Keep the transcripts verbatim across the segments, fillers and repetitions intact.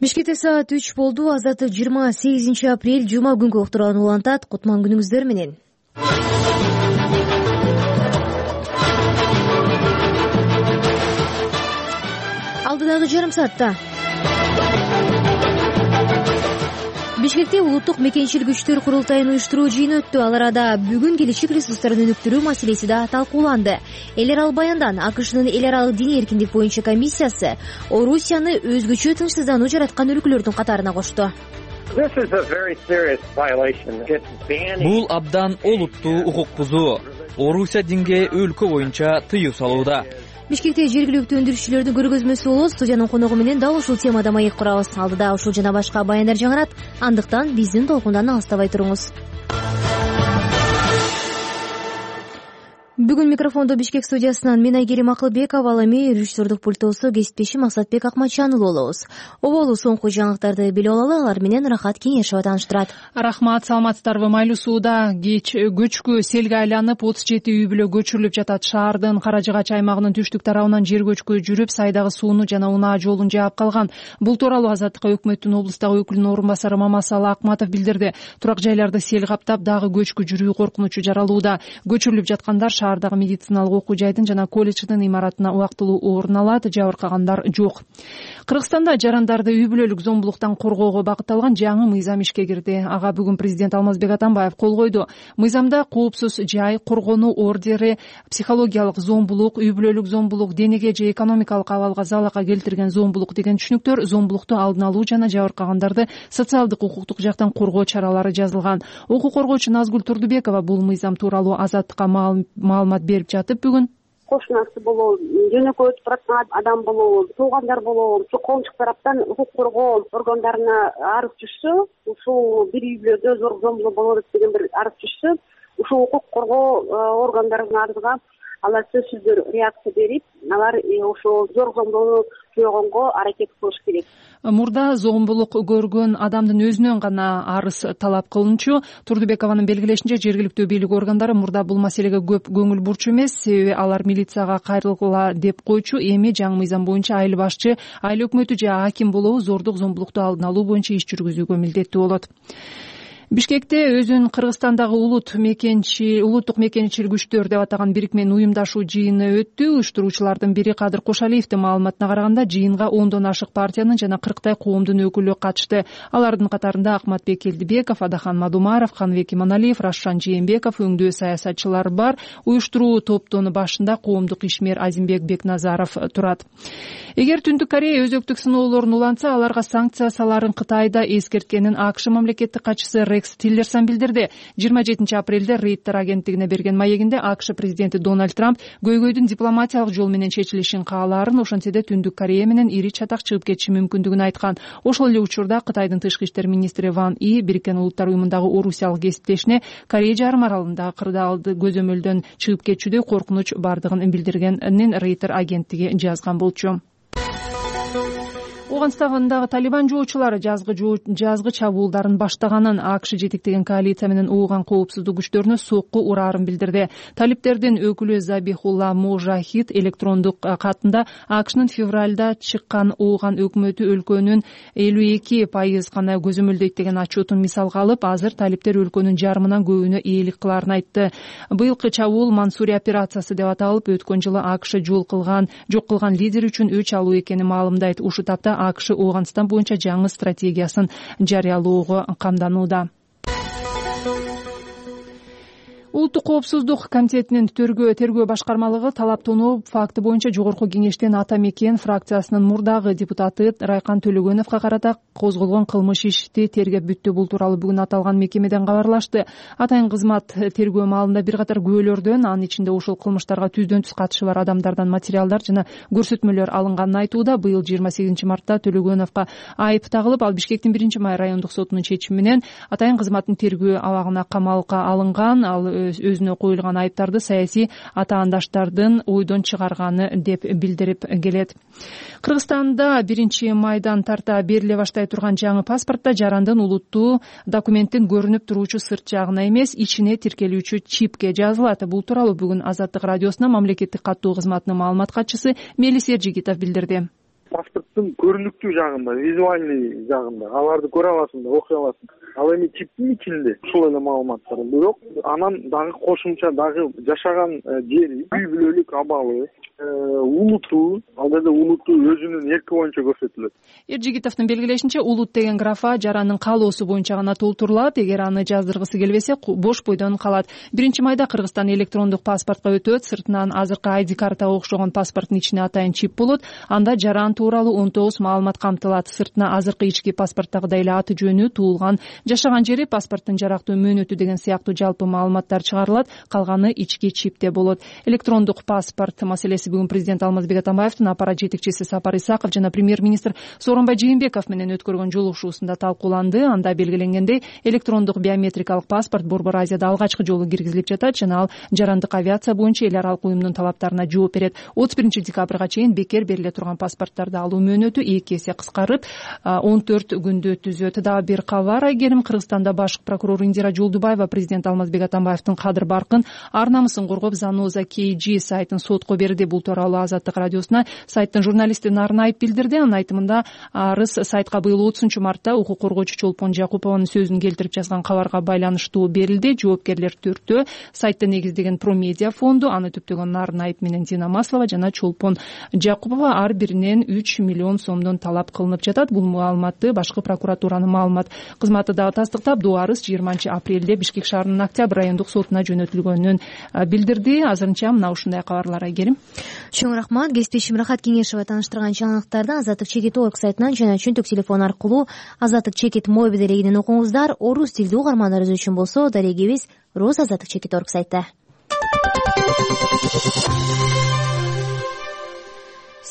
Бишкекте саат үч болду. Азаттык жыйырма сегизинчи апрель жума күнгү уктурааны улантат. Кутман күнүңүздөр менен. Алдыдагы жарым саатта Бишкекте улуттук мекенчил күчтөр курултайын уюштуруу жыйыны өттү. Ал арада бүгүн келечек ресурстарын өнүктүрүү маселеси да талкууланды. Эл аралык баяндан АКШнын эл аралык диний эркиндик боюнча комиссиясы Орусияны өзгөчө тынчсыздануу жараткан өлкөлөрдүн катарына кошту. Бул абдан олуттуу укук бузуу. Орусия динге өлкө боюнча тыюу салууда. Бишкекте жергиликтүү өндүрүшчүлөрдүн көргөзмөсү болот. Студиянын коногу менен дал ушул темада маек курабыз. Алдыда ушул жана башка баяндар жаңырат. Андыктан биздин толкундан алыстабай туруңуз. Бүгүн микрофондо Бишкек студиясынан мен Айгерим Акылбекова, ал эми режиссердук пультосу кесиптешим Максатбек Акматжанұлы болобуз. Оболу соңку жаңылыктарды билип алалы, алар менен Рахат Кеңешова тааныштырат. Рахмат, саламатсыздарбы? Майлуу сууда кеч көчкү селге айланып отуз жети үй бүлө көчүрүлүп жатат. Шаардын Кара Жыгач аймагынын түштүк тарабынан жер көчкү жүрүп, сайдагы сууну жана унаа жолун жаап калган. Бул тууралуу Азаттыкка өкмөттүн облустагы өкүлүнүн орун басары Мамасалы Акматов билдирди. Турак жайларды сел каптап, дагы көчкү жүрүү коркунучу жаралууда. Көчүрүлүп жаткандар шаардагы медициналык окуу жайдын жана колледждин имаратына убактылуу орун алат. Жабыркагандар жок. Кыргызстанда жарандарды үй бүлөлүк зомбулуктан коргоого багытталган жаңы мыйзам ишке кирди. Ага бүгүн президент Алмазбек Атамбаев кол койду. Мыйзамда коопсуз жай, коргонуу ордери, психологиялык зомбулук, үй бүлөлүк зомбулук, денеге же экономикалык абалга залалга келтирген зомбулук деген түшүнүктөр, зомбулукту алдын алуу жана жабыркагандарды социалдык укуктук жактан коргоо чаралары жазылган. Укук коргоочу Назгүл Турдубекова бул мыйзам тууралуу Азаттыкка маалымат берип жатып, бүгүн кошунасы болобу, жөнөкөй өтүп бараткан адам болобу, туугандар болобу, ушу коомчулук тараптан укук коргоо органдарына арыз түшсө, ушул бир үй бүлөдө зордук зомбулук болуп атат деген бир арыз түшсө, ушул укук коргоо органдарынын арызга алар сөзсүздөр реакция берип, алар ошол зордук зомбулукту жойгонго аракет кылыш керек. Мурда зомбулук көргөн адамдын өзүнөн гана арыз талап кылынчу. Турдубекованын белгилешинче, жергиликтүү бийлик органдары мурда бул маселеге көп көңүл бурчу эмес, себеби алар милицияга кайрылгыла деп койчу. Эми жаңы мыйзам боюнча айыл башчы, айыл өкмөтү же аким болобу зордук зомбулукту алдын алуу боюнча иш жүргүзүүгө милдеттүү болот. Бишкекте өзүн Кыргызстандагы улут мекенчи улуттук мекенчил күчтөр деп атаган бирикменин уюмдашуу жыйыны өттү. Уюштуруучулардын бири Кадыр Кошалиевдин маалыматына караганда, жыйынга ондон ашык партиянын жана кырктай коомдун өкүлү катышты. Алардын катарында Акматбек Келдибеков, Адахан Мадумаров, Каныбек Иманалиев, Рашшан Жээнбеков, өңдөө саясатчылар бар. Уюштуруу топтун башында коомдук ишмер Азимбек Бекназаров турат. Эгер Түндүк Корея өзөктүк сыноолорун улантса, аларга санкция саларын Кытайда эскерткенин АКШ мамлекеттик катчысы Рекс Тиллерсон билдирди. жыйырма жетинчи апрелде Рейтер агенттигине берген маегинде АКШ президенти Дональд Трамп көйгөйдүн дипломатиялык жол менен чечилишин каалаарын, ошентсе да Түндүк Корея менен ири чатак чыгып кетиши мүмкүндүгүн айткан. Ошол эле учурда Кытайдын тышкы иштер министри Ван И Бириккен Улуттар уюмундагы орусиялык кесиптешине Корея жарым аралындагы кырдаалды көзөмөлдөн чыгып кетчүдө коркунуч бардыгын билдиргенин Рейтер агенттиги жазган болчу. Ооганстандагы Талибан жоочулары жазгы жазгы чабуулдарын баштаганын, АКШ жетектеген коалиция менен ууган коопсуздук күчтөрүнө сокку ураарын билдирди. Талиптердин өкүлү Забихулла Можахид электрондук катында АКШнын февралда чыккан ууган өкмөтү өлкөнүн элүү эки пайыз гана көзөмөлдөйт деген отчетун мисалга алып, азыр талиптер өлкөнүн жарымынан көбүнө ээлик кылаарын айтты. Быйылкы чабуул Мансури операциясы деп аталып, өткөн жылы АКШ жол кылган, жок кылган лидер үчүн өч алуу экенин маалымдайт. Ушул тапта АКШ Ооганстан боюнча жаңы стратегиясын жарыялоого камданууда. Улуттук коопсуздук комитетинин тергөө тергөө башкармалыгы талап тоноо факты боюнча жогорку кеңештен Ата Мекен фракциясынын мурдагы депутаты Райкан Төлөгөновго карата козголгон кылмыш ишти тергеп бүттү. Бул тууралуу бүгүн аталган мекемеден кабарлашты. Атайын кызмат тергөө маалында бир катар күбөлөрдөн, анын ичинде ушул кылмыштарга түздөн түз катышы бар адамдардан материалдар жана көрсөтмөлөр алынганын айтууда. Быйыл жыйырма сегизинчи мартта Төлөгөновго айып тагылып, ал Бишкектин биринчи май райондук сотунун чечими менен атайын кызматтын тергөө абагына камалга алынган. Ал өзүнө коюлган айыптарды саясий атаандаштардын ойдон чыгарганы деп билдирип келет. Кыргызстанда биринчи майдан тарта бериле баштай турган жаңы паспортто жарандын улуттуу документтин көрүнүп туруучу сырт жагына эмес, ичине тиркелүүчү чипке жазылат. Бул тууралуу бүгүн Азаттык радиосуна мамлекеттик каттоо кызматынын маалымат катчысы Мелис Эржигитов билдирди. паспорттун көрүнүктүү жагында, визуальный жагында аларды көрө аласың да, окуй аласың. Ал эми чиптин ичинде ушул эле маалыматтар. Бирок анан дагы кошумча дагы жашаган жери, үй бүлөлүк абалы, улуту, ал жерде улуту өзүнүн эрки боюнча көрсөтүлөт. Эржигитовдун белгилешинче, улут деген графа жарандын каалоосу боюнча гана толтурулат. Эгер аны жаздыргысы келбесе, бош бойдон калат. биринчи майда Кыргызстан электрондук паспортко өтөт. Сыртынан азыркы ай ди картага окшогон паспорттун ичине атайын чип болот. Анда жаран тууралуу он тогуз маалымат камтылат. Сыртына азыркы ички паспорттагыдай эле аты жөнү, туулган, жашаган жери, паспорттун жарактуу мөөнөтү деген сыяктуу жалпы маалыматтар чыгарылат. Калганы ички чипте болот. Электрондук паспорт маселеси бүгүн президент Алмазбек Атамбаевдин аппарат жетекчиси Сапар Исаков жана премьер-министр Сооронбай Жээнбеков менен өткөргөн жолугушуусунда талкууланды. Анда белгиленгендей, электрондук биометрикалык паспорт Борбор Азияда алгачкы жолу киргизилип жатат жана ал жарандык авиация боюнча эл аралык уюмдун талаптарына жооп берет. отуз биринчи декабрга чейин бекер бериле турган паспорттарды алуу мөөнөтү эки эсе кыскарып, он төрт күндө түзөт. Дагы бир кабар айгерим. Кыргызстанда башкы прокурор Индира Жолдубаева президент Алмазбек Атамбаевдин кадыр баркын, ар намысын коргоп, Заноза кей джи сайтын сотко берди. Бул тууралуу Азаттык радиосуна сайттын журналисти Нарын Айып билдирди. Анын айтымында, арыз сайтка быйыл отузунчу мартта укук коргоочу Чолпон Жакупованын сөзүн келтирип жазган кабарга байланыштуу берилди. Жоопкерлер төртөө. Сайтты негиздеген Промедиа фонду, аны түптөгөн Нарын Айып менен Дина Маслова жана Чолпон Жакупова ар биринен үч миллион сомдон талап кылынып жатат. Бул маалыматты башкы прокуратуранын маалымат кызматы дагы тастыктап, бул арыз жыйырманчы апрелде Бишкек шаарынын Октябрь райондук сотуна жөнөтүлгөнүн билдирди. Азырынча мына ушундай кабарлар айгерим. Чоң рахмат. Кесиптешим Рахат Кеңешова тааныштырган жаңылыктарды Азаттык чекит орг сайтынан жана чөнтөк телефон аркылуу Азаттык чекит мобил дарегинен окуңуздар. Орус тилдүү угармандарыбыз үчүн болсо, дарегибиз Роз Азаттык чекит орг сайтта.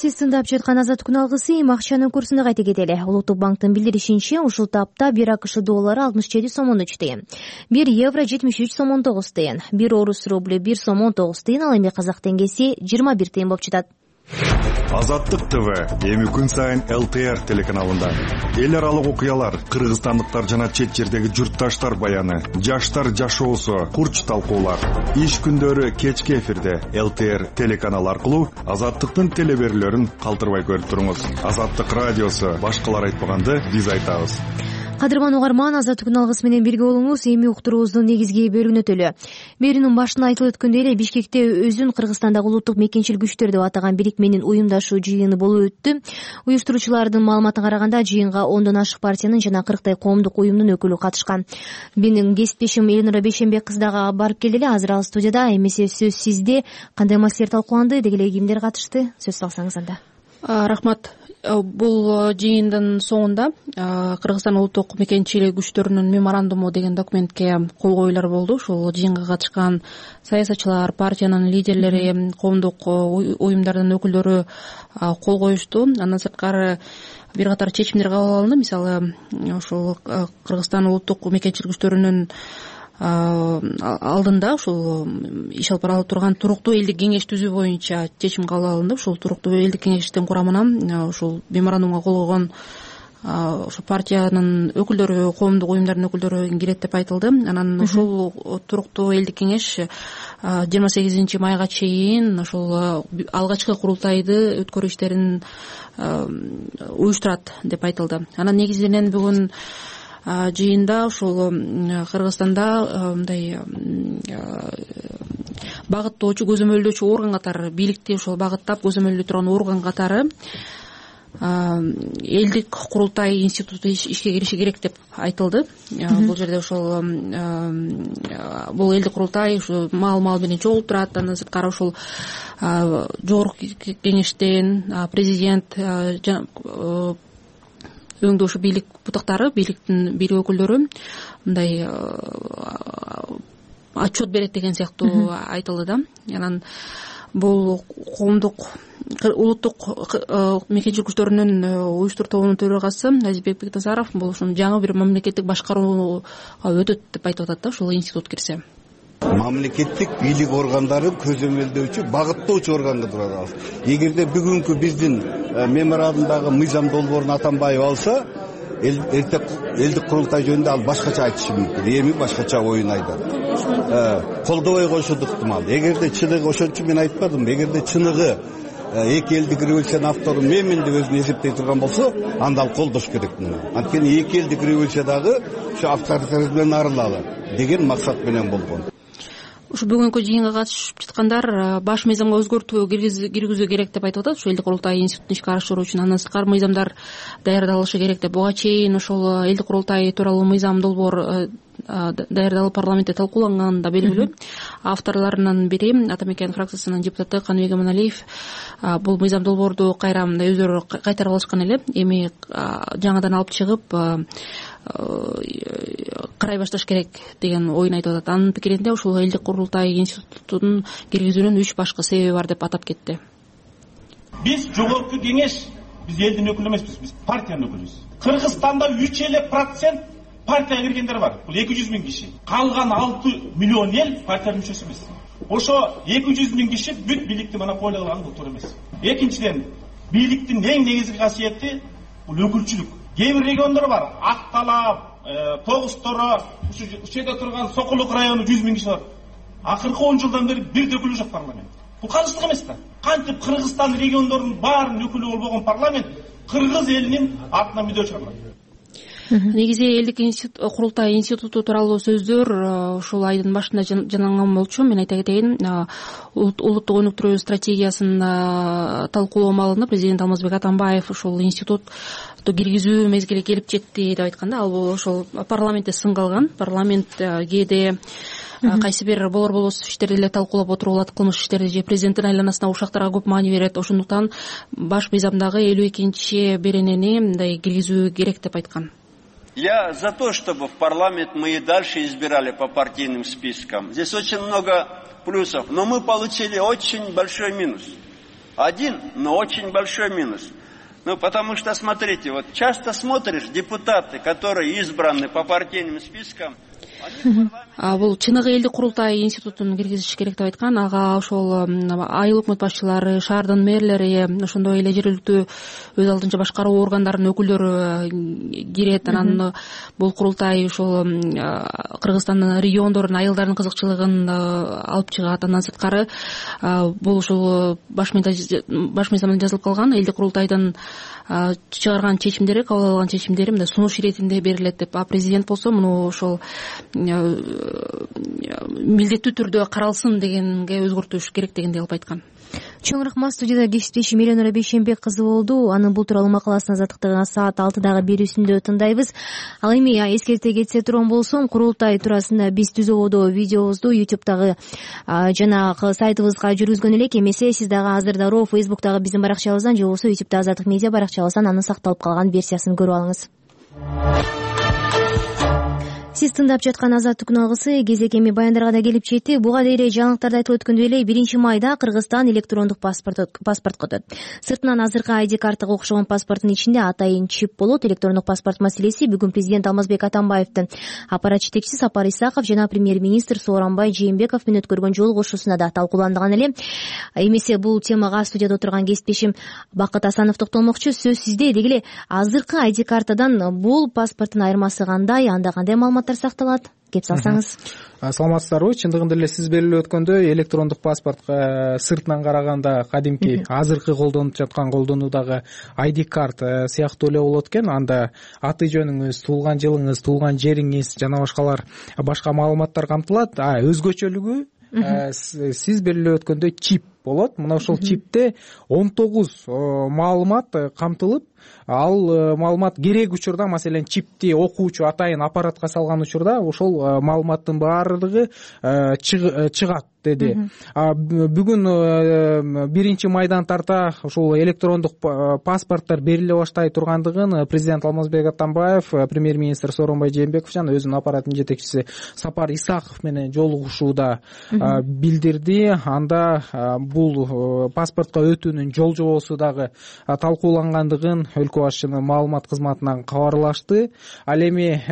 Сиз тыңдап жаткан Азаттык күн алгысы эми акчанын курсуна кайта кетели. Улуттук банктын билдиришинче, ушул тапта бир АКШ доллары алтымыш жети сом он үч тыйын, бир евро жетимиш үч сом он тогуз тыйын, бир орус рубль бир сом он тогуз тыйын, ал эми казак теңгеси жыйырма бир тыйын болуп жатат. Азаттык ТВ эми күн сайын эл тэ эр телеканалында эл аралык окуялар, кыргызстандыктар жана чет жердеги журтташтар баяны, жаштар жашоосу, курч талкуулар. Иш күндөрү кечки эфирде эл тэ эр телеканалы аркылуу Азаттыктын телеберүүлөрүн калтырбай көрүп туруңуз. Азаттык радиосу, башкалар айтпаганды биз айтабыз. Кадырман угарман, Азаттык күн алгысы менен бирге болуңуз. Эми уктуруубуздун негизги бөлүгүнө өтөлү. Берүүнүн башында айтылып өткөндөй эле, Бишкекте өзүн Кыргызстандагы улуттук мекенчил күчтөр деп атаган бирикменин уюмдашуу жыйыны болуп өттү. Уюштуруучулардын маалыматына караганда, жыйынга ондон ашык партиянын жана кырктай коомдук уюмдун өкүлү катышкан. Менин кесиптешим Элнура Бейшенбек кыз дагы барып келди эле. Азыр ал студияда. Эмесе сөз сизде. Кандай маселелер талкууланды, деги эле кимдер катышты? Сөз салсаңыз анда. Рахмат. Бул жыйындын соңунда Кыргызстан улуттук мекенчилик күчтөрүнүн меморандуму деген документке кол коюулар болду. Ушул жыйынга катышкан саясатчылар, партиянын лидерлери, коомдук уюмдардын өкүлдөрү кол коюшту. Андан сырткары бир катар чечимдер кабыл алынды. Мисалы, ушул Кыргызстан улуттук мекенчилик күчтөрүнүн алдында ушул иш алып барылып турган туруктуу элдик кеңеш түзүү боюнча чечим кабыл алынды. Ушул туруктуу элдик кеңештин курамына ушул меморандумга кол койгон ошо партиянын өкүлдөрү, коомдук уюмдардын өкүлдөрү кирет деп айтылды. Анан ушул туруктуу элдик кеңеш жыйырма сегизинчи майга чейин ошол алгачкы курултайды өткөрүү иштерин уюштурат деп айтылды. Анан негизинен бүгүн жыйында ушул Кыргызстанда мындай багыттоочу, көзөмөлдөөчү орган катары, бийликти ошол багыттап көзөмөлдөй турган орган катары элдик курултай институту ишке кириши керек деп айтылды. Бул жерде ошол бул элдик курултай ушу маал маал менен чогултурат. Андан сырткары ушул жогорку кеңештен президент өңдө ушу бийлик бутактары, бийликтин бийлик өкүлдөрү мындай отчет берет деген сыяктуу айтылды да. Анан бул коомдук улуттук мекенчилик күчтөрүнүн уюштуруу тобунун төрагасы Азизбек Бектазаров бул ушун жаңы бир мамлекеттик башкарууга өтөт деп айтып атат да, ушул институт кирсе. Мамлекеттик бийлик органдарын көзөмөлдөөчү, багыттоочу органга турат. Эгерде бүгүнкү биздин меморандумдагы мыйзам долбоорун атанбай алса, эрте элдик курултай жөнүндө ал башкача айтышы мүмкүн. Эми башкача оюн айтат. Колдобой коюшу ыктымал. Эгерде чыныгы, ошон үчүн мен айтпадым, эгерде чыныгы эки элдик революциянын автору менмин деп өзүн эсептей турган болсо, анда ал колдош керек. Анткени эки элдик революция дагы ушу авторитаризмден арылалы деген максат менен болгон. Ушу бүгүнкү жыйынга катышып жаткандар баш мыйзамга өзгөртүү киргизүү керек деп айтып атат. Ушу элдик курултай институтун ишке ашыруу үчүн андан сырткары мыйзамдар даярдалышы керек деп. Буга чейин ошол элдик курултай тууралуу мыйзам долбоор даярдалып парламентте талкууланган да белгилүү. Авторлорунун бири Ата Мекен фракциясынын депутаты Каныбек Аманалиев бул мыйзам долбоорду кайра мындай өздөрү кайтарып алышкан эле. Эми жаңадан алып чыгып карай башташ керек деген оюн айтып атат. Анын пикиринде ушул элдик курултай институтун киргизүүнүн үч башкы себеби бар деп атап кетти. Биз жогорку кеңеш, биз элдин өкүлү эмеспиз, биз партиянын өкүлүбүз. Кыргызстанда үч эле процент партияга киргендер бар. Бул эки жүз миң киши. Калган алты миллион эл партиянын мүчөсү эмес. Ошо эки жүз миң киши бүт бийликти монополияланган бул туура эмес. Экинчиден, бийликтин эң негизги касиети бул өкүлчүлүк. Кээ бир региондор бар, Ак Талап, Тогуз Торо, ушу жерде турган Сокулук району жүз миң киши бар. Акыркы он жылдан бери бир да өкүлү жок парламент. Бул калыштык эмес да. Кантип Кыргызстан региондорунун баарынын өкүлү болбогон парламент кыргыз элинин атына мүдө чыгарат. Негизи элдик курултай институту тууралуу сөздөр ушул айдын башында жанаган болчу. Мен айта кетейин, улуттук өнүктүрүү стратегиясын талкуулоо маалында президент Алмазбек Атамбаев ушул институтту киргизүү мезгили келип жетти деп айтканда, ал бул ошол парламентте сын калган. Парламент кээде кайсы бир болор болбосуз иштерди эле талкуулап отуруп алат, кылмыш иштерди же президенттин айланасына ушактарга көп маани берет. Ошондуктан баш мыйзамдагы элүү экинчи беренени мындай киргизүү керек деп айткан. Я за то, чтобы в парламент мы и дальше избирали по партийным спискам. Здесь очень много плюсов, но мы получили очень большой минус. Один, но очень большой минус. Ну, потому что, смотрите, вот часто смотришь, депутаты, которые избраны по партийным спискам, бул чыныгы элдик курултай институтун киргизиш керек деп айткан. Ага ошол айыл өкмөт башчылары, шаардын мэрлери, ошондой эле жергиликтүү өз алдынча башкаруу органдарынын өкүлдөрү кирет. Анан бул курултай ошол Кыргызстандын региондорунун айылдарынын кызыкчылыгын алып чыгат. Андан сырткары бул ушул баш мыйзамда жазылып калган элдик курултайдын чыгарган чечимдери, кабыл алган чечимдери мындай сунуш иретинде берилет деп. А президент болсо муну ошол милдеттүү түрдө каралсын дегенге өзгөртүш керек дегенди алып айткан. Чоң рахмат. Студияда кесиптешим Эленора Бейшенбек кызы болду. Анын бул тууралуу макаласын азаттыктын саат алтыдагы берүүсүндө тыңдайбыз. Ал эми эскерте кетсе турган болсом, курултай туурасында биз түз ободо видеобузду ютубтагы жанагы сайтыбызга жүргүзгөн элек. Эмесе сиз дагы азыр дароо фейсбуктагы биздин баракчабыздан же болбосо ютубта Азаттык медиа баракчабыздан анын сакталып калган версиясын көрүп алыңыз. Сиз тыңдап жаткан Азаттык күн алгысы кезек эми баяндарга да келип жетти. Буга дейре жаңылыктарда айтылып өткөндөй эле биринчи майда Кыргызстан электрондук паспорт паспортко өтөт. Сыртынан азыркы ай ди картага окшогон паспорттун ичинде атайын чип болот. Электрондук паспорт маселеси бүгүн президент Алмазбек Атамбаевдин аппарат жетекчиси Сапар Исаков жана премьер-министр Сооронбай Жээнбеков менен өткөргөн жолугушуусунда да талкууланган эле. Эмесе бул темага студияда отурган кесиптешим Бакыт Асанов токтолмокчу. Сөз сизде. Деги эле азыркы ай ди картадан бул паспорттун айырмасы кандай, анда кандай маалыматтар сакталат? Кеп салсаңыз. Саламатсыздарбы? Чындыгында эле сиз белгилеп өткөндөй, электрондук паспортко сыртынан караганда кадимки азыркы колдонуп жаткан колдонуудагы ай ди карт сыяктуу эле болот экен. Анда аты жөнүңүз, туулган жылыңыз, туулган жериңиз жана башкалар башка маалыматтар камтылат. А өзгөчөлүгү сиз белгилеп өткөндөй чип болот. Мына ошол чипте он тогуз маалымат камтылып, ал маалымат керек учурда, маселен чипти окуучу атайын аппаратка салган учурда ошол маалыматтын баардыгы чыгат деди. Бүгүн биринчи майдан тарта ушул электрондук паспорттор бериле баштай тургандыгын президент Алмазбек Атамбаев, премьер-министр Сооронбай Жээнбеков жана өзүнүн аппаратынын жетекчиси Сапар Исаков менен жолугушууда билдирди. Анда бул паспортко өтүүнүн жол жобосу дагы талкуулангандыгын өлкө башчынын маалымат кызматынан кабарлашты. Ал эми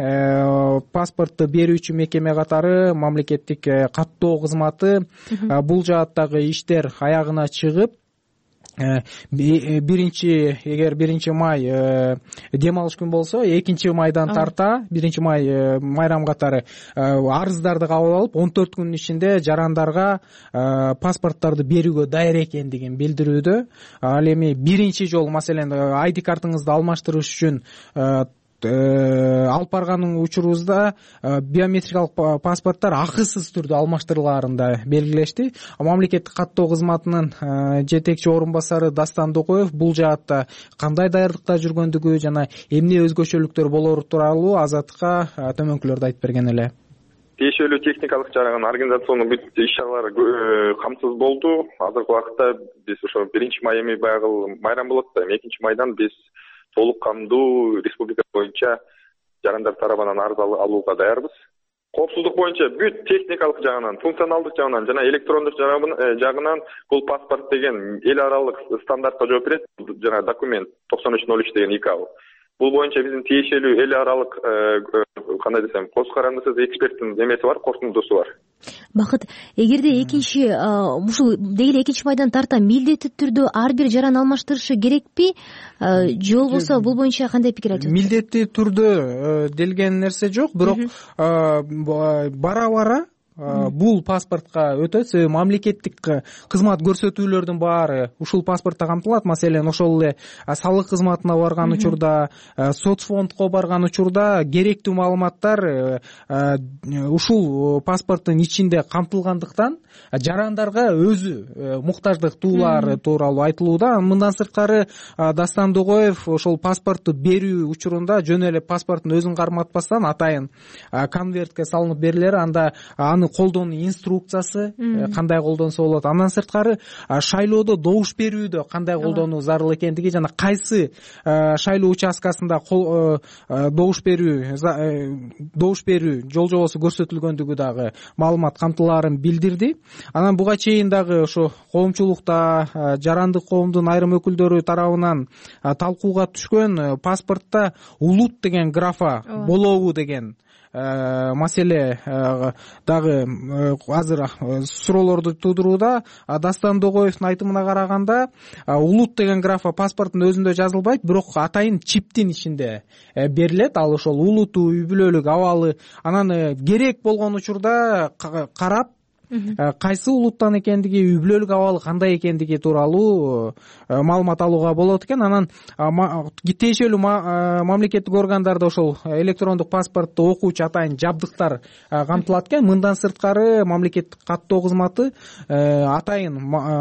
паспортту берүүчү мекеме катары мамлекеттик каттоо кызматы бул жааттагы иштер аягына чыгып, биринчи эгер биринчи май дем алыш күн болсо экинчи майдан тарта биринчи май майрам катары арыздарды кабыл алып он төрт күнүн ичинде жарандарга паспорттарды берүүгө даяр экендигин билдирүүдө. Ал эми биринчи жолу маселен ай ди картыңызды алмаштырыш үчүн алып барган учурубузда биометрикалык паспорттор акысыз түрдө алмаштырылаарын да белгилешти. Мамлекеттик каттоо кызматынын жетекчи орун басары Дастан Докоев бул жаатта кандай даярдыкта жүргөндүгү жана эмне өзгөчөлүктөр болору тууралуу Азаттыкка төмөнкүлөрдү айтып берген эле. Тиешелүү техникалык жагынан организациондук бүт иш-чаралар камсыз болду. Азыркы убакытта биз ошо биринчи май эми баягы майрам болот да, экинчи майдан биз толук камдуу республика боюнча жарандар тарабынан арыз алууга даярбыз. Коопсуздук боюнча бүт техникалык жагынан, функционалдык жагынан жана электрондук жагынан бул паспорт деген эл аралык стандартка жооп берет. Жана документ токсон үч ноль үч деген ИКАО. Бул боюнча биздин тиешелүү эл аралык кандай десем, коз карандысыз эксперттин эмеси бар, корутундусу бар. Бакыт, эгерде экинчи ушул деги экинчи майдан тарта милдеттүү түрдө ар бир жаран алмаштырышы керекпи? Же болбосо бул боюнча кандай пикир айтасыз? Милдеттүү түрдө делген нерсе жок, бирок бара-бара бул паспортко өтөт. Себеби мамлекеттик кызмат көрсөтүүлөрдүн баары ушул паспортто камтылат. Маселен, ошол эле салык кызматына барган учурда, соцфондко барган учурда керектүү маалыматтар ушул паспорттун ичинде камтылгандыктан жарандарга өзү муктаждыктуулары тууралуу айтылууда. Мындан сырткары Дастан Догоев ошол паспортту берүү учурунда жөн эле паспорттун өзүн карматпастан атайын конвертке салынып берилер, анда аны колдонуу инструкциясы кандай колдонсо болот. Андан сырткары шайлоодо добуш берүүдө кандай колдонуу зарыл экендиги жана кайсы шайлоо участкасында добуш берүү добуш берүү жол жобосу көрсөтүлгөндүгү дагы маалымат камтылаарын билдирди. Анан буга чейин дагы ошо коомчулукта жарандык коомдун айрым өкүлдөрү тарабынан талкууга түшкөн паспортто улут деген графа болобу деген маселе дагы азыр суроолорду туудурууда. Дастан Догоевдун айтымына караганда улут деген графа паспорттун өзүндө жазылбайт, бирок атайын чиптин ичинде берилет. Ал ошол улуту, үй бүлөлүк абалы, анан керек болгон учурда карап кайсы улуттан экендиги, үй бүлөлүк абалы кандай экендиги тууралуу маалымат алууга болот экен. Анан тиешелүү мамлекеттик органдарда ошол электрондук паспортту окуучу атайын жабдыктар камтылат экен. Мындан сырткары мамлекеттик каттоо кызматы атайын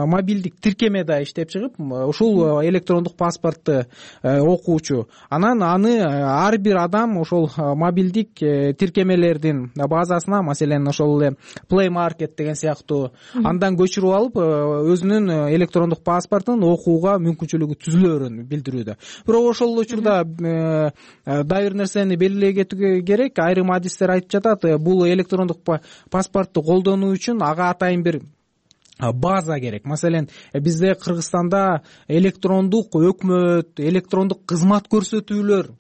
мобилдик тиркеме да иштеп чыгып, ушул электрондук паспортту окуучу анан аны ар бир адам ошол мобилдик тиркемелердин базасына, маселен ошол эле Play Market деген сыяктуу андан көчүрүп алып өзүнүн электрондук паспортун окууга мүмкүнчүлүгү түзүлөөрүн билдирүүдө. Бирок ошол учурда дагы бир нерсени белгилей кетүү керек. Айрым адистер айтып жатат, бул электрондук паспортту колдонуу үчүн ага атайын бир база керек. Маселен, бизде Кыргызстанда электрондук өкмөт, электрондук кызмат көрсөтүүлөр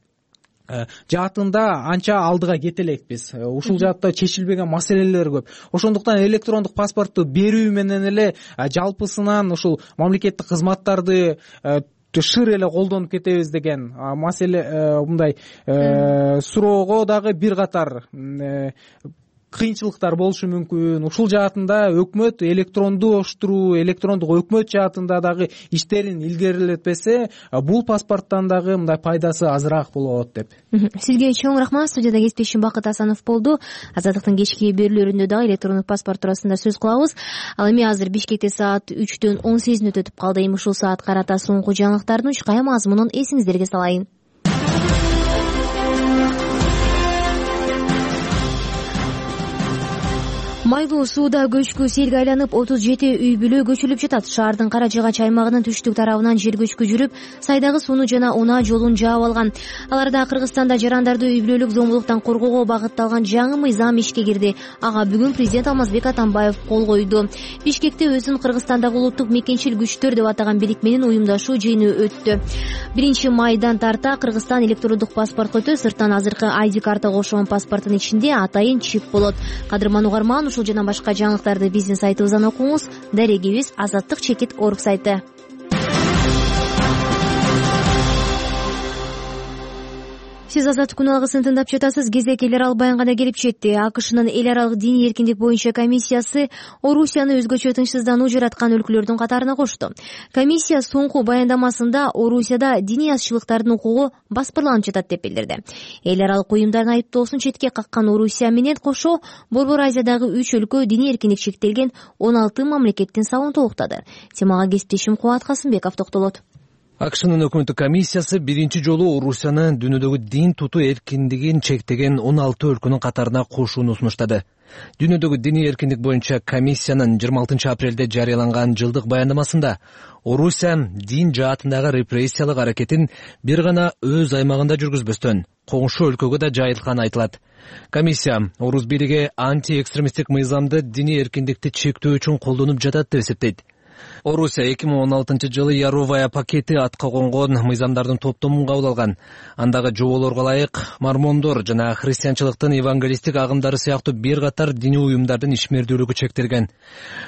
жаатында анча алдыга кете элекпиз. Ушул жаатта чечилбеген маселелер көп. Ошондуктан электрондук паспортту берүү менен эле жалпысынан ушул мамлекеттик кызматтарды шыр эле колдонуп кетебиз деген маселе, мындай суроого дагы бир катар кыйынчылыктар болушу мүмкүн. Ушул жаатында өкмөт электрондуштуруу, электрондук өкмөт жаатында дагы иштерин илгерилетпесе, бул паспорттан дагы мындай пайдасы азыраак болот деп. Сизге чоң рахмат. Студияда кесиптешим Бакыт Асанов болду. Азаттыктын кечки берүүлөрүндө дагы электрондук паспорт туурасында сөз кылабыз. Ал эми азыр Бишкекте саат үчтөн он сегиз мүнөт өтүп калды. Эми ушул саат карата соңку жаңылыктардын үч кая мазмунун эсиңиздерге салайын. Майлуу сууда көчкү селге айланып отуз жети үй бүлө көчүлүп жатат. Шаардын Кара Жыгач аймагынын түштүк тарабынан жер көчкү жүрүп, сайдагы сууну жана унаа жолун жаап алган. Аларда Кыргызстанда жарандарды үй бүлөлүк зомбулуктан коргоого багытталган жаңы мыйзам ишке кирди. Ага бүгүн президент Алмазбек Атамбаев кол койду. Бишкекте өзүн Кыргызстандагы улуттук мекенчил күчтөр деп атаган бирикменин уюмдашуу жыйыны өттү. биринчи майдан тарта Кыргызстан электрондук паспорт өтө, сырттан азыркы ай ди картага окшогон паспорттун ичинде атайын чип болот. Кадырман угарман, ушул жана башка жаңылыктарды биздин сайтыбыздан окуңуз. Дарегибиз азаттык чекит орг сайты. Сиз Азаттык күн алгысын тыңдап жатасыз. Кезек эл аралык баянга да келип жетти. АКШнын эл аралык диний эркиндик боюнча комиссиясы Орусияны өзгөчө тынчсыздануу жараткан өлкөлөрдүн катарына кошту. Комиссия соңку баяндамасында Орусияда диний азчылыктардын укугу баспырланып жатат деп билдирди. Эл аралык уюмдардын айыптоосун четке каккан Орусия менен кошо Борбор Азиядагы үч өлкө диний эркиндик чектелген он алты мамлекеттин сабын толуктады. Темага кесиптешим Кубат Касымбеков токтолот. АКШнын өкмөттүк комиссиясы биринчи жолу Орусияны дүйнөдөгү дин тутуу эркиндигин чектеген он алты өлкөнүн катарына кошууну сунуштады. Дүйнөдөгү диний эркиндик боюнча комиссиянын жыйырма алтынчы апрелде жарыяланган жылдык баяндамасында Орусия дин жаатындагы репрессиялык аракетин бир гана өз аймагында жүргүзбөстөн коңшу өлкөгө да жайылтканы айтылат. Комиссия орус бийлиги антиэкстремисттик мыйзамды диний эркиндикти чектөө үчүн колдонуп жатат деп эсептейт. Орусия эки миң он алтынчы жылы Яровая пакети атка конгон мыйзамдардын топтомун кабыл алган. Андагы жоболорго ылайык мормондор жана христианчылыктын евангелисттик агымдары сыяктуу бир катар диний уюмдардын ишмердүүлүгү чектелген.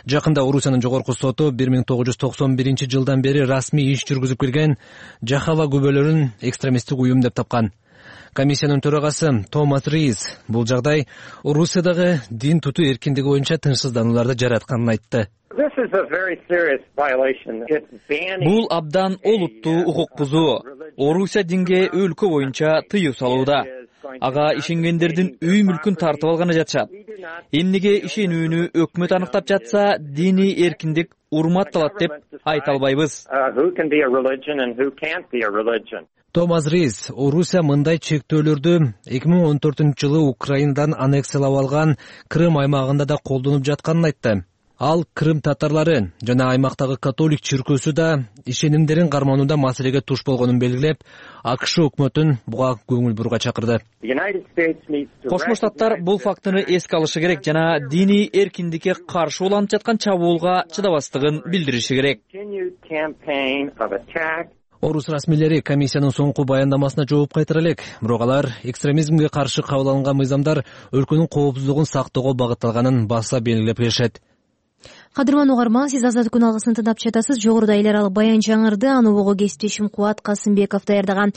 Жакында Орусиянын жогорку соту бир миң тогуз жүз токсон биринчи жылдан бери расмий иш жүргүзүп келген Жахава күбөлөрүн экстремисттик уюм деп тапкан. Комиссиянын төрагасы Томас Рис бул жагдай Орусиядагы дин тутуу эркиндиги боюнча тынчсызданууларды жаратканын айтты. Бул абдан олуттуу укук бузуу. Орусия динге өлкө боюнча тыюу салууда. Ага ишенгендердин үй мүлкүн тартып алганы жатышат. Эмнеге ишенүүнү өкмөт аныктап жатса, диний эркиндик урматталат деп айта албайбыз. Томас Рис Орусия мындай чектөөлөрдү эки миң он төртүнчү жылы Украинадан аннексиялап алган Крым аймагында да колдонуп жатканын айтты. Ал Крым татарлары жана аймактагы католик чиркөөсү да ишенимдерин карманууда маселеге туш болгонун белгилеп, АКШ өкмөтүн буга көңүл бурууга чакырды. Кошмо Штаттар бул фактыны эске алышы керек жана диний эркиндикке каршы уланып жаткан чабуулга чыдабастыгын билдириши керек. Орус расмийлери комиссиянын соңку баяндамасына жооп кайтара элек, бирок алар экстремизмге каршы кабыл алынган мыйзамдар өлкөнүн коопсуздугун сактоого багытталганын баса белгилеп келишет. Кадырман угарман, сиз Азаттык күн алгысын тыңдап жатасыз. Жогоруда эл аралык баян жаңырды, аны угуу кесиптешим Кубат Касымбеков даярдаган.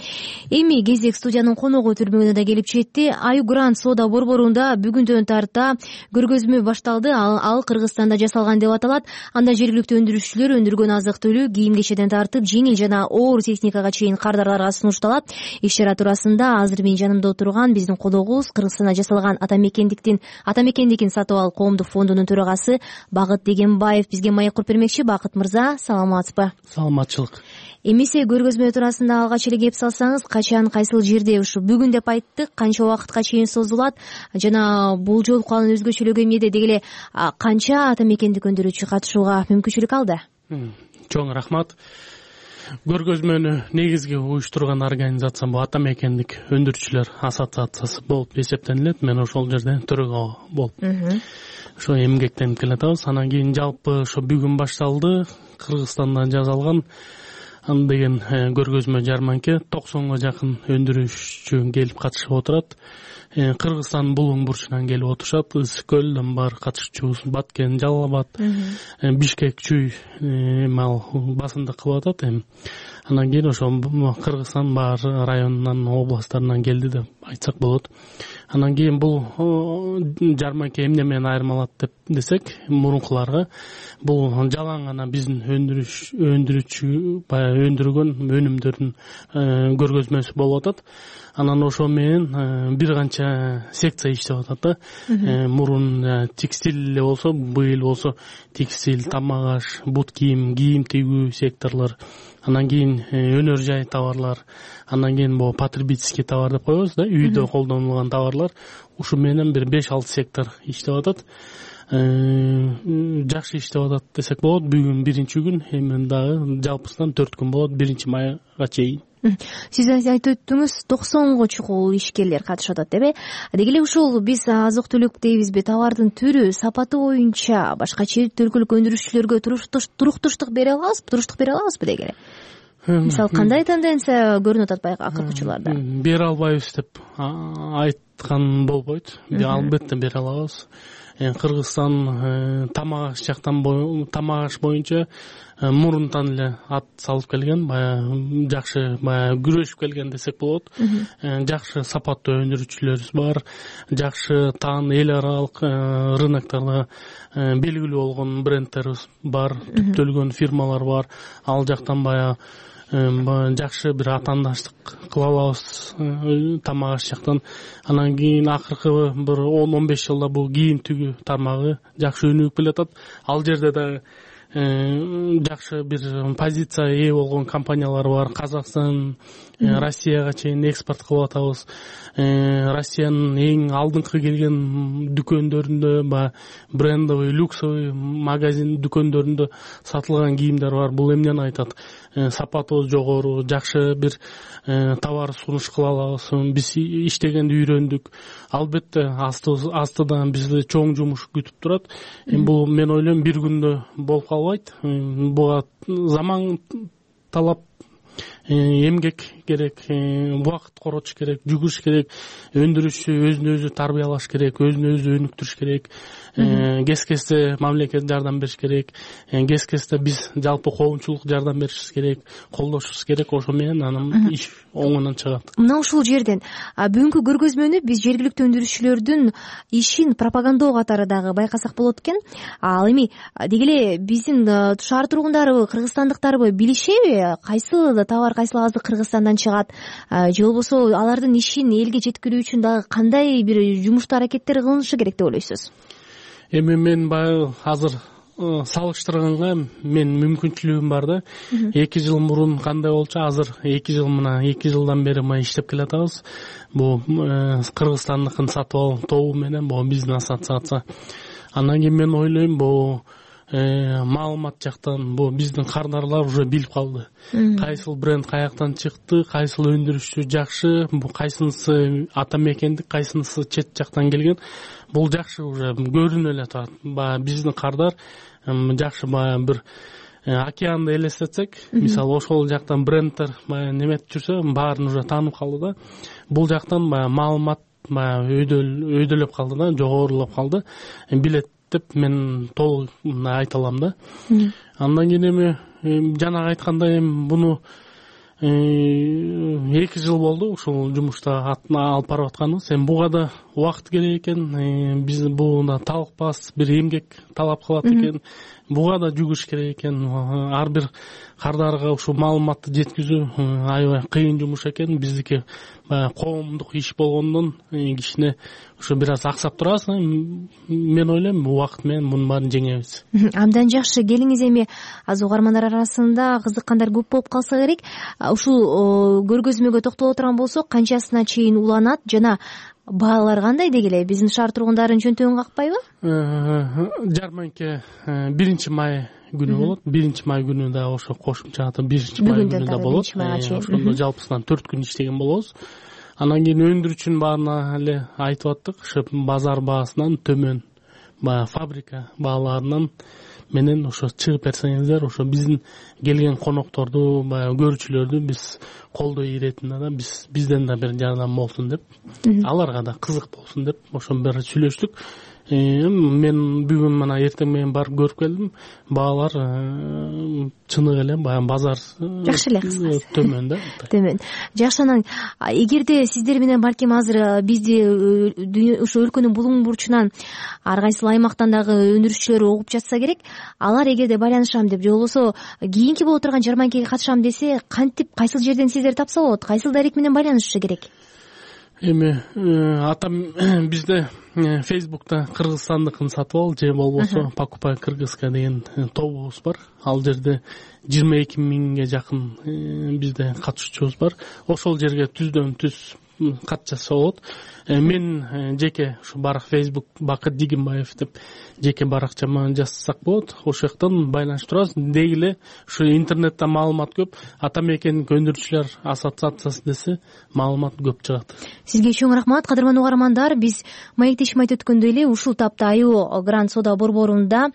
Эми кезек студиянын коногу түрмөгүнө да келип жетти. Аю Грант соода борборунда бүгүндөн тарта көргөзмө башталды. Ал, ал Кыргызстанда жасалган деп аталат. Анда жергиликтүү өндүрүүчүлөр өндүргөн азык-түлүк, кийим-кечеден тартып, жеңил жана оор техникага чейин кардарларга сунушталат. Иш чара туурасында азыр менин жанымда отурган биздин колдогубуз Кыргызстанда жасалган атамекендиктин атамекендикин сатып ал коомдук фондунун төрагасы Багыт Дегенбаев бизге маек куруп бермекчи. Бакыт мырза, саламатсызбы? Саламатчылык. Эмесе көргөзмө туурасында алгач эле кеп салсаңыз, качан, кайсыл жерде, ушу бүгүн деп айттык, канча убакытка чейин созулат жана бул жолку анын өзгөчөлүгү эмнеде, деги эле канча атамекендик өндүрүүчү катышууга мүмкүнчүлүк алды? Чоң рахмат. Көргөзмөнү негизги уюштурган организация бул атамекендик өндүрүүчүлөр ассоциациясы болуп эсептелет. Мен ошол жерде төрага болуп ошо эмгектенип келатабыз. Анан кийин жалпы ошо бүгүн башталды. Кыргызстанда жасалган деген көргөзмө жарманке токсонго жакын өндүрүүчү келип катышып отурат. Кыргызстандын булуң бурчунан келип отурушат. Ысык көлдөн бар катышуучубуз, Баткен, Жалал Абад, Бишкек, Чүй мал басымдык кылып атат. Эми анан кийин ошо Кыргызстан бар районунан, областтарынан келди деп айтсак болот. Анан кийин бул жарманке эмне менен айырмалат деп десек, мурункуларга бул жалаң гана биздин өндүрүш өндүрүүчү баягы өндүргөн өнүмдөрдүн көргөзмөсү болуп атат. Анан ошо менен бир канча секция иштеп атат да. Мурун текстиль эле болсо, быйыл болсо текстиль, тамак аш, бут кийим, кийим тигүү секторлор. Анан кийин өнөр жай товарлар, анан кийин бул потребительский товар деп коебуз да, үйдө колдонулган товарлар. Ушу менен бир беш алты сектор иштеп атат. Жакшы иштеп атат десек болот. Бүгүн биринчи күн, эми дагы жалпысынан төрт күн болот, биринчи майга чейин. Сиз айтып өттүңүз, токсонго чукул ишкерлер катышып атат деп. Деги эле ушул биз азык-түлүк дейбизби, товардын түрү, сапаты боюнча башка чет өлкөлүк өндүрүүчүлөргө туруктуштук бере алабызбы, туруштук бере алабызбы деги эле? Мисалы, кандай тенденция көрүнүп атат баягы акыркы учурларда? Бере албайбыз деп айткан болбойт. Албетте бере алабыз. Кыргызстан тамак аш жактан тамак аш боюнча мурунтан эле ат салып келген, баягы жакшы баягы күрөшүп келген десек болот. Жакшы сапаттуу өндүрүүчүлөрүбүз бар, жакшы таан эл аралык рыноктарда белгилүү болгон брендтерибиз бар, түптөлгөн фирмалар бар. Ал жактан баягы жакшы бир атаандаштык кыла алабыз тамак аш жактан. Анан кийин акыркы бир он он беш жылда бул кийим тигүү тармагы жакшы өнүгүп келатат. Ал жерде да жакшы бир позиция ээ болгон компаниялар бар. Казакстан, Россияга чейин экспорт кылып атабыз. Россиянын эң алдыңкы келген дүкөндөрүндө баягы брендовый, люксовый магазин дүкөндөрүндө сатылган кийимдер бар. Бул эмнени айтат? Сапатыбыз жогору, жакшы бир товар сунуш кыла алабыз. Биз иштегенди үйрөндүк. Албетте астыдан бизди чоң жумуш күтүп турат. Бул мен ойлойм бир күндө болуп калбайт. Буга заман талап, эмгек керек, убакыт коротуш керек, жүгүрүш керек, өндүрүүчү өзүн өзү тарбиялаш керек, өзүн өзү өнүктүрүш керек, кез-кезде мамлекет жардам бериш керек, кез-кезде биз жалпы коомчулук жардам беришибиз керек, колдошубуз керек. Ошо менен анан иш оңунан чыгат. Мына ушул жерден бүгүнкү көргөзмөнү биз жергиликтүү өндүрүүчүлөрдүн ишин пропагандоо катары дагы байкасак болот экен. Ал эми деги эле биздин шаар тургундарыбы, кыргызстандыктарбы билишеби кайсы товар, кайсы азык Кыргызстандан чыгат, же болбосо алардын ишин элге жеткирүү үчүн дагы кандай бир жумуштуу аракеттер кылынышы керек деп ойлойсуз? Эми мен баягы азыр салыштырганга мен мүмкүнчүлүгүм бар да. эки жыл мурун кандай болчу, азыр эки жыл мына эки жылдан бери мына иштеп келатабыз. Бул Кыргызстандыкын сатып алуу тобу менен бул биздин ассоциация. Андан кийин мен ойлойм бул маалымат жактан бул биздин кардарлар уже билип калды. Кайсыл бренд каяктан чыкты, кайсыл өндүрүүчү жакшы, бул кайсынысы ата мекендик, кайсынысы чет жактан келген. Бул жакшы уже көрүнүп эле турат. Баягы биздин кардар жакшы баягы бир океанды элестетсек, мисалы ошол жактан брендтер баягы неметип жүрсө, баарын уже таанып калды да. Бул жактан баягы маалымат баягы өйдөлөп калды да, жогорулап калды. Билет деп мен толук айта алам да. Андан кийин эми жанагы айткандай буну эки жыл болду ушул жумушта алып барып атканыбыз. Эми буга да убакыт керек экен. Биз буга талкпас бир эмгек талап кылат экен. Буга да жүгүрүш керек экен. Ар бир кардарга ушул маалыматты жеткизүү аябай кыйын жумуш экен. Биздики коомдук иш болгондон кичине ушу бир аз аксап турабыз. Мен ойлойм убакыт менен мунун баарын жеңебиз. Абдан жакшы. Келиңиз, эми азыр угармандар арасында кызыккандар көп болуп калса керек. Ушул көргөзмөгө токтоло турган болсок, канчасына чейин уланат жана баалар кандай деги эле? Биздин шаар тургундарын жөнтөгүн какпайбы? Жарманке биринчи май күнү болот. биринчи май күнү да ошо кошумча биринчи май күнү да болот. Ошондо жалпысынан төрт күн иштеген болобуз. Анан кийин өндүрүүчүнүн баарына эле айтып аттык, ошо базар баасынан төмөн, баягы фабрика бааларынан менен ошо чыгып берсеңиздер, ошо биздин келген конокторду, баягы көрүүчүлөрдү биз колдой иретинде да, биз бизден да бир жардам болсун деп, аларга да кызык болсун деп ошо бир сүйлөштүк. Мен бүгүн мына эртең менен барып көрүп келдим. Баалар чыныгы эле баягы базар жакшы эле, кыскасы төмөн да. Төмөн. Жакшы. Анан эгерде сиздер менен балким азыр бизди ушу өлкөнүн булуң бурчунан ар кайсыл аймактан дагы өндүрүүчүлөр угуп жатса керек, алар эгерде байланышам деп же болбосо кийинки боло турган жарманкеге катышам десе, кантип, кайсыл жерден сиздерди тапса болот? Кайсыл дарек менен байланышышы керек? Эми атам бизде Фейсбукта Кыргызстандыкын сатып ал же болбосо покупай кыргызска деген тобубуз бар. Ал жерде жыйырма эки миңге жакын бизде катышуучубуз бар. Ошол жерге түздөн түз кат жазса болот. Мен жеке ушу барак Facebook Бакыт Дигимбаев деп жеке баракчама жазсак болот. Ошол жактан байланышып турабыз. Деги эле ушу интернетте маалымат көп. Ата мекендик өндүрүүчүлөр ассоциациясы десе маалымат көп чыгат. Сизге чоң рахмат, кадырман угармандар. Биз маектешим айтып өткөндөй эле ушул тапта Айо Гранд Сода борборунда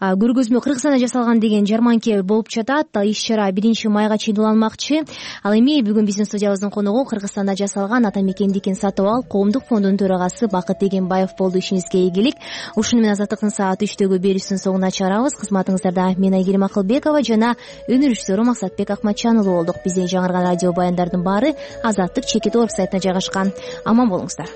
көргөзмө Кыргызстанда жасалган деген жарманке болуп жатат. Иш чара биринчи майга чейин уланмакчы. Ал эми бүгүн биздин студиябыздын коногу Кыргызстанда жасалган аталган ата мекендикин сатып ал коомдук фондунун төрагасы Бакыт Дегенбаев болду. Ишиңизге ийгилик. Ушуну менен Азаттыктын саат үчтөгү берүүсүнүн соңуна чыгарабыз. Кызматыңыздарда мен Айгерим Акылбекова жана өнөр ишчилери Максатбек Акматжан уулу болдук. Бизден жаңырган радио баяндардын баары Азаттык чекит веб сайтына жайгашкан. Аман болуңуздар.